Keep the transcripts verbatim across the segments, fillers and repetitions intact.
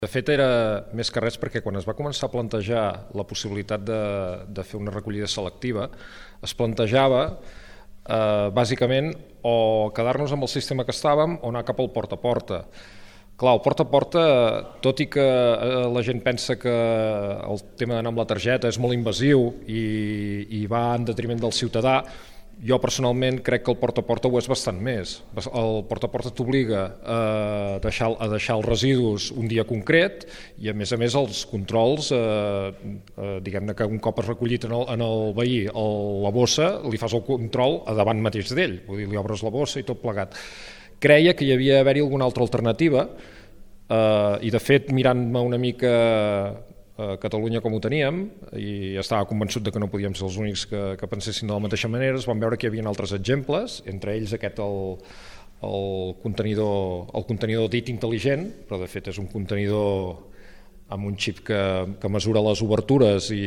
De fet, era més que res perquè quan es va començar a plantejar la possibilitat de, de fer una recollida selectiva, es plantejava eh, bàsicament o quedar-nos amb el sistema que estàvem o anar cap al porta a porta. Clar, el porta a porta, tot i que eh, la gent pensa que el tema d'anar amb la targeta és molt invasiu i, i va en detriment del ciutadà, jo personalment crec que el porta a porta ho és bastant més. El porta a porta t'obliga a deixar, a deixar els residus un dia concret i a més a més els controls, eh, eh, diguem-ne que un cop has recollit en el, en el veí el, la bossa, li fas el control a davant mateix d'ell, vull dir, li obres la bossa i tot plegat. Creia que hi havia d'haver-hi alguna altra alternativa eh, i de fet mirant-me una mica a Catalunya com ho teníem i estava convençut de que no podíem ser els únics que, que pensessin de la mateixa manera, es van veure que hi havia altres exemples, entre ells aquest el, el contenidor el contenidor dit intel·ligent, però de fet és un contenidor amb un xip que, que mesura les obertures i,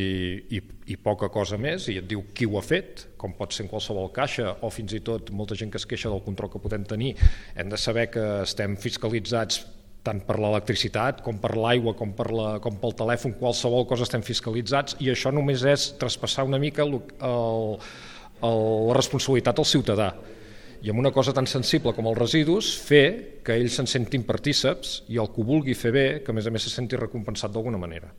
i, i poca cosa més i et diu qui ho ha fet, com pot ser en qualsevol caixa o fins i tot molta gent que es queixa del control que podem tenir. Hem de saber que estem fiscalitzats tant per l'electricitat com per l'aigua com, per la, com pel telèfon, qualsevol cosa estem fiscalitzats i això només és traspassar una mica el, el, el, la responsabilitat al ciutadà. I amb una cosa tan sensible com els residus, fer que ells se'n sentin partíceps i el que ho vulgui fer bé, que a més a més se senti recompensat d'alguna manera.